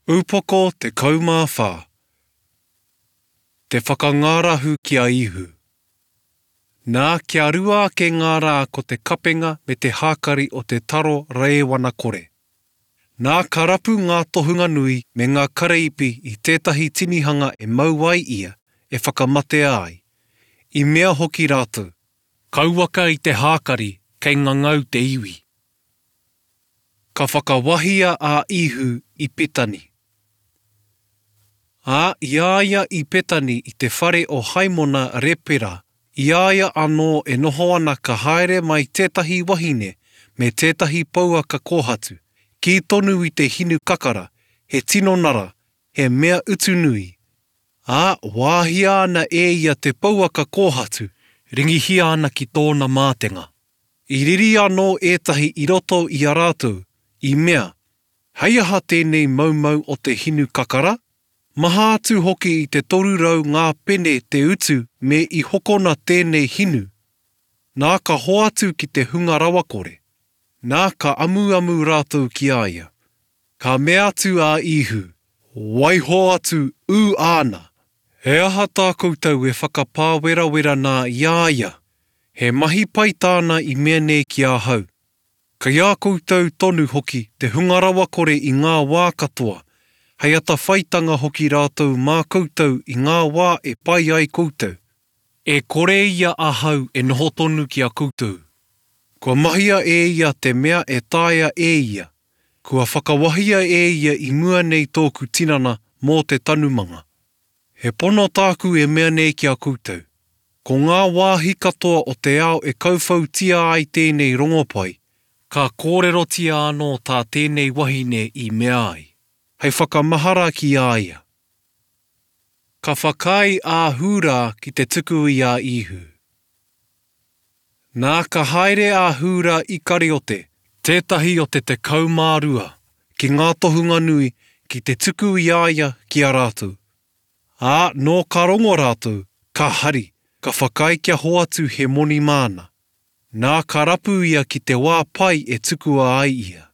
Upoko 14. Te whakangārahu ki a Īhu. Nā, kia rua ake ngā rā ko te kapenga me te hākari o te taro rēwana kore. Nā, ka rapu ngā tohunga nui me ngā kareipi i tētahi tinihanga e mau ai ia, e whakamatea ai. I mea hoki rātou. Kauaka i te hākari, kei ngangau te iwi. Ka whakawahia a Īhu i Petani. Ā, i a ia i Petani i te whare o Haimona Repera, i a ia anō e noho ana ka haere mai tētahi wahine me tētahi pouaka kōhatu, kī tonu i te hinu kakara, he tino nara, he mea utu nui. Ā, wāhia ana e ia te pouaka kōhatu, ringihia ana ki tōna mātenga. I riri anō ētahi i roto i a rātou, i mea, Hei aha tēnei maumau o te hinu kakara? Maha atu hoki i te 300 ngā pene te utu me i hokona tēnei hinu. Nā ka hoatu ki te hunga rawakore. Nā ka amuamu rātou ki a ia. Ka mea atu a Īhu, Waiho atu ū āna! He aha tā koutou e whakapāwerawera nā i a ia? He mahi pai tāna i mea nei ki ahau. Kei a koutou tonu hoki te hunga rawakore i ngā wā katoa, hei atawhaitanga hoki rātou mā koutou i ngā wā e pai ai koutou. E kore ia ahau e noho tonu ki a koutou. Kua mahia e ia te mea e taea e ia, Kua whakawahia e ia i mua nei tōku tinana mō te tanumanga. He pono tāku e mea nei ki a koutou, ko ngā wāhi katoa o te ao e kauwhautia ai tēnei rongopai, ka kōrerotia anō tā tēnei wahine i mea ai, hei whakamahara ki a ia. Ka whakaae a Hūrā ki te tuku i a Īhu. Nā, ka haere a Hūrā Ikariote, tētahi o te 12, ki ngā tohunga nui, ki te tuku i a ia ki a rātou. Ā, nō ka rongo rātou, ka hari, ka whakaae kia hoatu he moni māna. Nā, ka rapu ia ki te wā pai e tukua ai ia.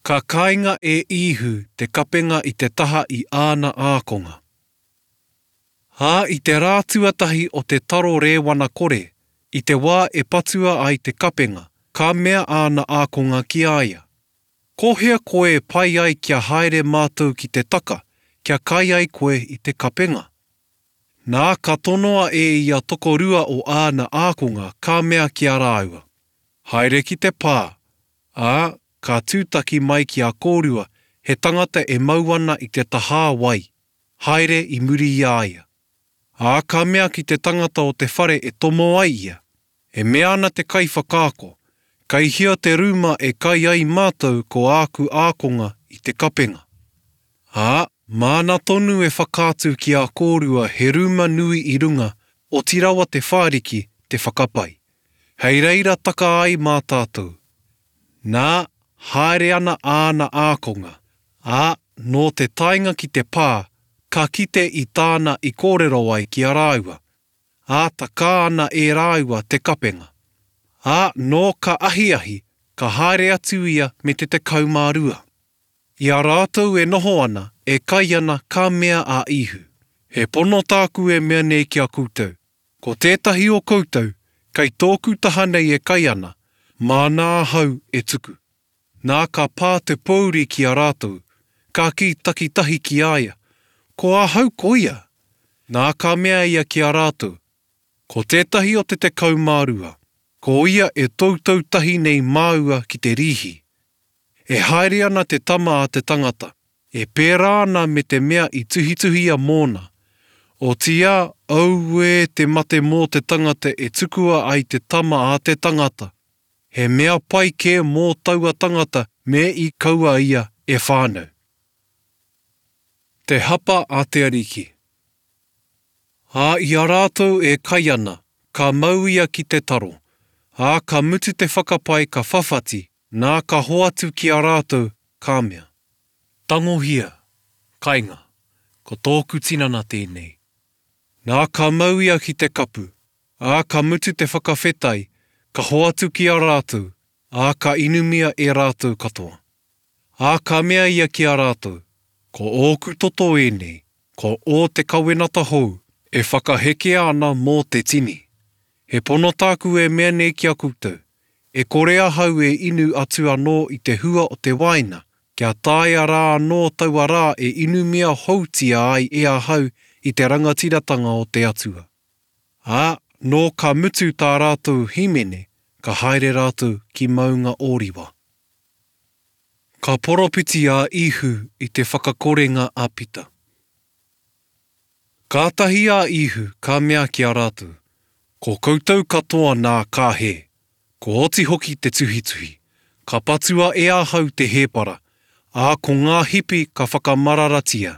Ka kainga e Īhu te kapenga i te taha i āna ākonga. Ā, i te rā tuatahi o te taro rēwana kore, i te wā e patua ai te kapenga, ka mea āna ākonga ki a ia, Ko hea koe e pai ai kia haere mātou ki te taka, kia kai ai koe i te kapenga? Nā, ka tonoa e ia tokorua o āna ākonga, ka mea ki a rāua, Haere ki te pā, ā, ka tūtaki mai ki a kōrua he tangata e mau ana i te tahā wai, haere i muri i a ia. Ā, ka mea ki te tangata o te whare e tomo ai ia, E mea ana te kaiwhakaako, Kei hea te rūma e kai ai mātou ko āku ākonga i te kapenga? Ā, māna tonu e whakaatu ki a kōrua he rūma nui i runga, oti rawa te whāriki te whakapai. Hei reira taka ai mā tātou. Nā, haere ana āna ākonga, ā, nō te taenga ki te pā, ka kite i tāna i kōrero ai ki a rāua, ā, takā ana e rāua te kapenga. Ā, nō ka ahiahi, ka haere atu ia me te 12. I a rātou e noho ana, e kai ana, ka mea a Īhu, He pono tāku e mea nei ki a koutou, ko tētahi o koutou, kei tōku taha nei e kai ana, māna ahau e tuku. Nā ka pā te pōuri ki a rātou, ka kī takitahi ki a ia, Ko ahau koia? Nā ka mea ia ki a rātou, Ko tētahi o te 12, ko ia e toutou tahi nei māua ki te rīhi. E haere ana te Tama a te tangata, e pērā ana me te mea i tuhituhia mōna. Otiia, auē te mate mō te tangata e tukua ai te Tama a te tangata! He mea pai kē mō taua tangata me i kaua ia e whānau. Te Hapa a te Ariki. Ā, i a rātou e kai ana, ka mau ia ki te taro, ā, ka mutu te whakapai ka whawhati, nā ka hoatu ki a rātou, ka mea. Tangohia, kainga, ko tōku tinana tēnei. Nā ka mau ia ki te kapu, ā, ka mutu te whakawhetai, ka hoatu ki a rātou, ā, ka inumia e rātou katoa. Ā, ka mea ia ki a rātou, Ko ōku toto ēnei, ko ō te kawenata hou, e whakahekea ana mō te tini. He pono tāku e mea nei ki a koutou, e kore ahau e inu atu anō i te hua o te wāina, kia taea rā anō taua rā e inumia houtia ai e ahau i te rangatiratanga o te Atua. Ā, nō ka mutu tā rātou hīmene, ka haere rātou ki Maunga Ōriwa. Ka poropiti a Īhu i te whakakorenga a Pita. Kātahi a Īhu ka mea ki a rātou, Ko koutou katoa nā ka hē, kua oti hoki te tuhituhi, ka patua e ahau te hēpara, ā, ko ngā hipi ka whakamararatia.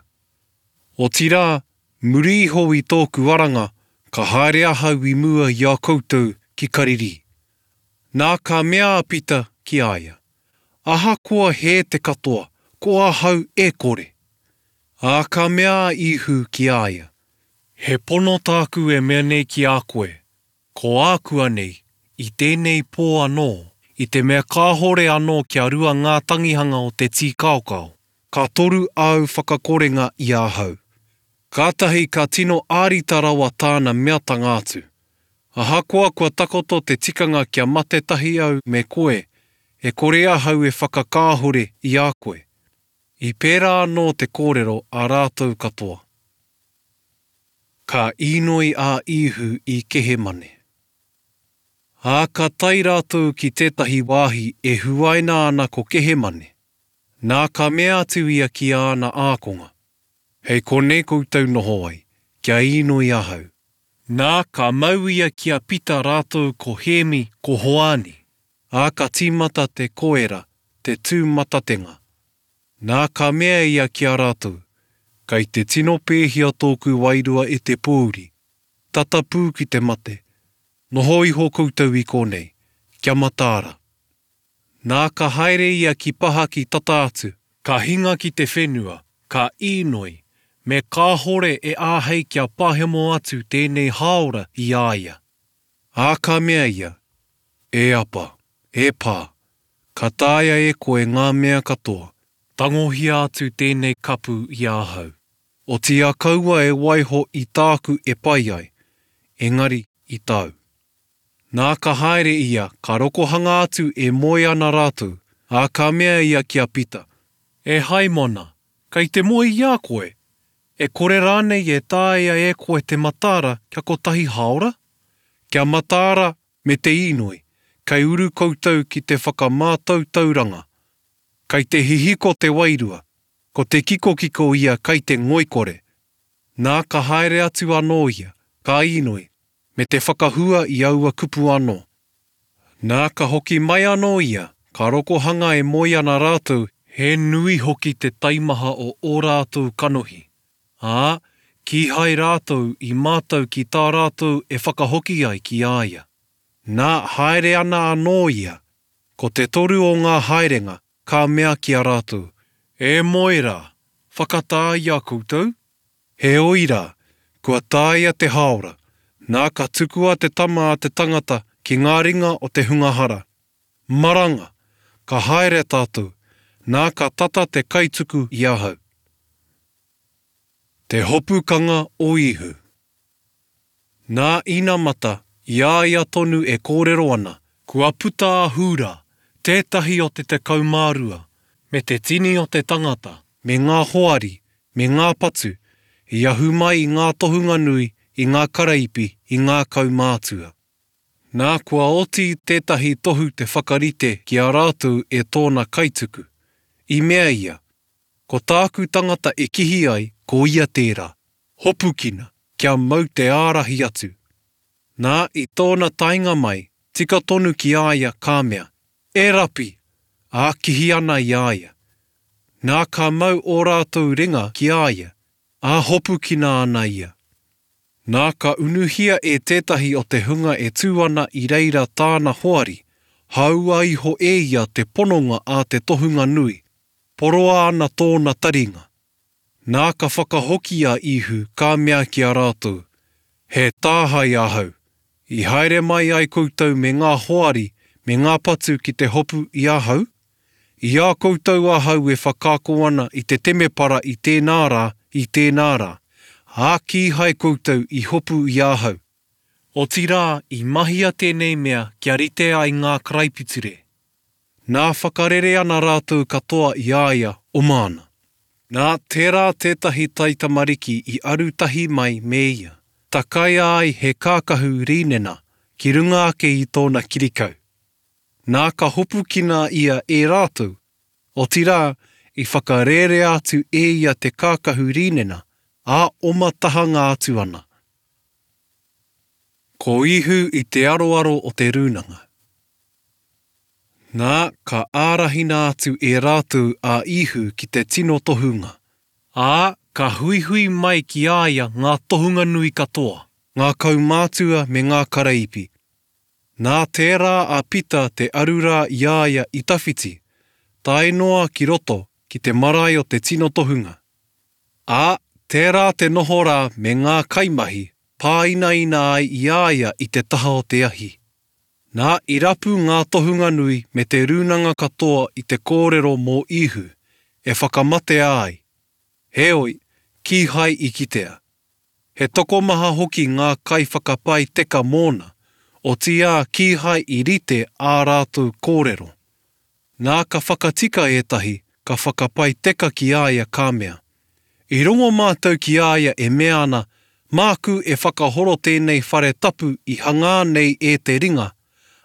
Otirā, muri iho i tōku aranga, ka haere ahau i mua i a koutou ki Karirī. Nā ka mea a Pita ki a ia, Ahakoa hē te katoa, ko ahau e kore. Ā, ka mea a Īhu ki a ia, He pono tāku e mea nei ki a koe, ko ākuanei, i tēnei pō anō, i te mea kāhore anō kia rua ngā tangihanga o te tīkaokao, ka toru āu whakakorenga i ahau. Kātahi ka tino ārita rawa tāna meatanga atu, Ahakoa kua takoto te tikanga kia mate tahi au me koe, e kore ahau e whakakāhore i a koe. I pērā anō te kōrero a rātou katoa. Ka īnoi a Īhu i Kehemane. Ā, ka tae rātou ki tētahi wāhi e huaina ana ko Kehemane. Nā, ka mea atu ia ki āna ākonga, Hei konei koutou noho ai, kia īnoi ahau. Nā, ka mau ia ki a Pita rātou ko Hēmi, ko Hoani. Ā, ka tīmata te koera, te tūmatatenga. Nā, ka mea ia ki a rātou, Kei te tino pēhia tōku wairua e te pōuri, tata pū ki te mate, noho iho koutou i konei, kia mataara. Nā, ka haere ia ki pahaki tata atu, ka hinga ki te whenua, ka īnoi, me kāhore e āhei kia pahemo atu tēnei hāora i a ia. Ā, ka mea ia, E Apa, e Pā, ka taea e koe ngā mea katoa, tangohia atu tēnei kapu i ahau. Otiia kaua e waiho i tāku e pai ai, engari i tāu. Nā, ka haere ia, ka rokohanga atu e moe ana rātou, ā, ka mea ia ki a Pita, E Haimona, kei te moe i a koe? E kore rānei e taea e koe te mataara kia kotahi hāora? Kia mataara me te īnoi, kei uru koutou ki te whakamātautauranga. Kei te hihiko te wairua, ko te kikokiko ia kei te ngoikore. Nā ka haere atu anō ia, ka īnoi, me te whakahua i aua kupu anō. Nā, ka hoki mai anō ia, ka rokohanga e moe ana rātou, he nui hoki te taimaha o ō rātou kanohi, ā, kīhai rātou i mātau ki tā rātou e whakahoki ai ki a ia. Nā, haere ana anō ia, ko te toru o ngā haerenga, ka mea ki a rātou, E moe rā, whakatā i a koutou? Heoi rā, kua taea te hāora, nā ka tukua te Tama a te tangata ki ngā ringa o te hunga hara. Maranga! Ka haere tātou, nā ka tata te kaituku i ahau. Te hopukanga o Īhu. Nā inamata, i a ia tonu e kōrero ana, kua puta a Hūrā, tētahi o te 12, me te tini o te tangata, me ngā hoari, me ngā patu, i ahu mai i ngā tohunga nui, i ngā karaipi, i ngā kaumātua. Nā, kua oti tētahi tohu te whakarite ki a rātou e tōna kaituku. I mea ia, Ko tāku tangata e kihi ai, ko ia tērā. Hopukina, kia mau te ārahi atu. Nā, i tōna taenga mai, tika tonu ki a ia ka mea, E Rapi! Ā, kihi ana i a ia. Nā, ka mau ō rātou ringa ki a ia, ā, hopukina ana ia. Nā, ka unuhia e tētahi o te hunga e tū ana i reira tāna hoari, hāua iho e ia te pononga a te tohunga nui, poroa ana tōna taringa. Nā ka whakahoki a Īhu, ka mea ki a rātou, He tāhae ahau, i haere mai ai koutou me ngā hoari me ngā patu ki te hopu i ahau? I a koutou ahau e whakaako ana i te temepara i tēnā rā, i tēnā rā, ā, kīhai koutou i hopu i ahau. Otirā, i mahia tēnei mea kia rite ai ngā karaipiture. Nā whakarere ana rātou katoa i a ia, oma ana. Nā, tērā tētahi taitamariki i aru tahi mai me ia, takaia ai he kākahu rīnena ki runga ake i tōna kirikau. Nā ka hopukina ia e rātou, otirā, i whakarērea atu e ia te kākahu rīnena, ā, oma tahanga atu ana. Ko Ihu i te aroaro o te rūnanga. Nā, ka ārahina atu e rātou a Ihu ki te tino tohunga. Ā, ka huihui mai ki a ia ngā tohunga nui katoa. Ngā kaumātua me ngā karaipi. Nā, tērā a Pita te aru rā i a ia i tawhiti, tae noa ki roto ki te marae o te tino tohunga. Ā, tērā te noho rā me ngā kaimahi, pāinaina ai i a ia i te taha o te ahi. Nā, i rapu ngā tohunga nui me te rūnanga katoa i te kōrero mō Īhu, e whakamatea ai. Heoi, kīhai i kitea. He tokomaha hoki ngā kaiwhakapae teka mōna, otiia kīhai i rite ā rātou kōrero. Nā ka whakatika ētahi, ka whakapae teka ki a ia ka mea, I rongo mātou ki a ia e mea ana, Māku e whakahoro tēnei whare tapu i hangā nei e te ringa,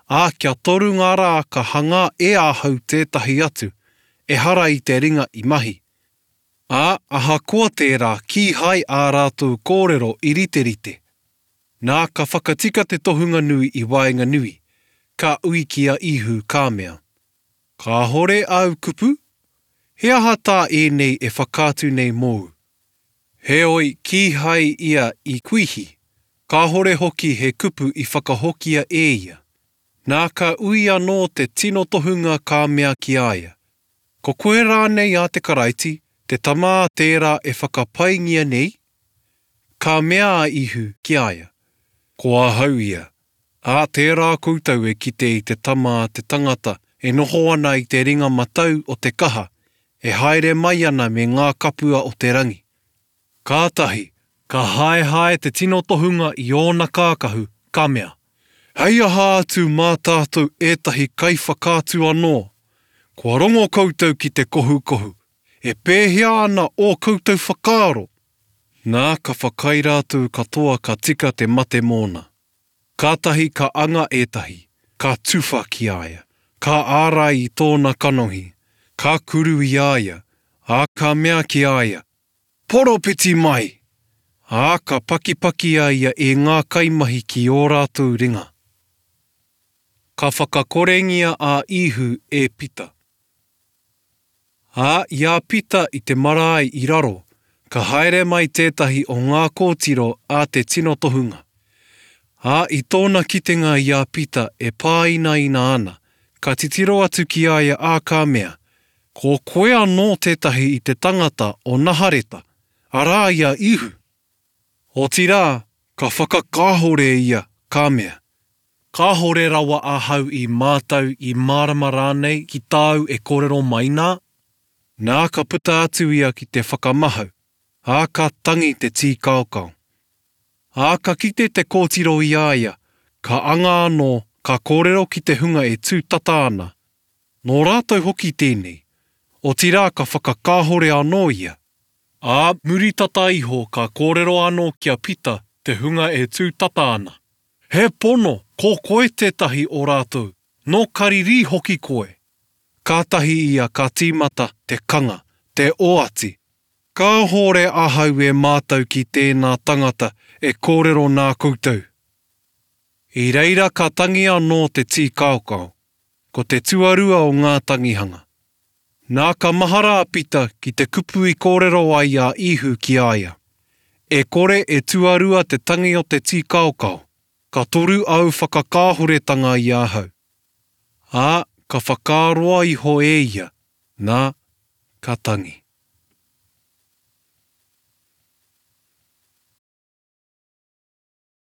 ā, kia toru ngā rā ka hangā e ahau tētahi atu, ehara i te ringa i mahi. Ā, ahakoa tērā kīhai ā rātou kōrero i riterite. Nā, ka whakatika te tohunga nui i waenganui, ka ui ki a Īhu, ka mea, Kāhore āu kupu? He aha tā ēnei e whakaatu nei mōu? Heoi, kīhai ia i kuihi, kāhore hoki he kupu i whakahokia e ia. Nā, ka ui anō te tino tohunga ka mea ki a ia, Ko koe rānei a te Karaiti, te Tama a tērā e whakapaingia nei? Ka mea a Ihu ki a ia, Ko ahau ia, ā, tērā koutou e kite i te Tama a te tangata e noho ana i te ringa matau o te kaha, e haere mai ana me ngā kapua o te rangi. Kātahi, ka haehae te tino tohunga i ōna kākahu, ka mea, Hei aha atu mā tātou ētahi kaiwhakaatu anō? Kua rongo koutou ki te kohukohu, e pēhea ana ō koutou whakaaro? Nā, ka whakaae rātou katoa ka tika te mate mōna. Kātahi ka anga ētahi, ka tuwha ki a ia, ka ārai i tōna kanohi, ka kuru i a ia, ā, ka mea ki a ia, Poropiti mai! Ā, ka pakipaki a ia e ngā kaimahi ki ō rātou ringa. Ka whakakorengia a Īhu e Pita. Ā, i a Pita i te marae i raro, ka haere mai tētahi o ngā kōtiro a te tino tohunga. Ā, i tōna kitenga i a Pita e pāinaina ana, ka titiro atu ki a ia ā ka mea, Ko koe anō tētahi i te tangata o Nahareta, arā i a Īhu. Otirā, ka whakakāhore ia, ka mea, Kāhore rawa ahau i mātau, i mārama rānei ki tāu e kōrero mai nā? Nā ka puta atu ia ki te whakamahau, ā, ka tangi te tīkaokao. Ā, ka kite te kōtiro i a ia, ka anga anō, ka kōrero ki te hunga e tū tata ana, Nō rātou hoki tēnei, otirā ka whakakāhore anō ia. Ā, muri tata iho ka kōrero anō ki a Pita te hunga e tū tata ana, He pono, ko koe tētahi o rātou, nō Karirī hoki koe. Kātahi ia ka tīmata te kanga, te oati, Kāhore ahau e mātau ki tēnā tangata e kōrero nā koutou. I reira ka tangi anō te tīkaokao, ko te tuarua o ngā tangihanga. Nā ka mahara a Pita ki te kupu i kōrero ai a Īhu ki a ia, E kore e tuarua te tangi o te tīkaokao, ka toru āu whakakāhoretanga i ahau. Ā, ka whakaaroa iho e ia, nā, ka tangi.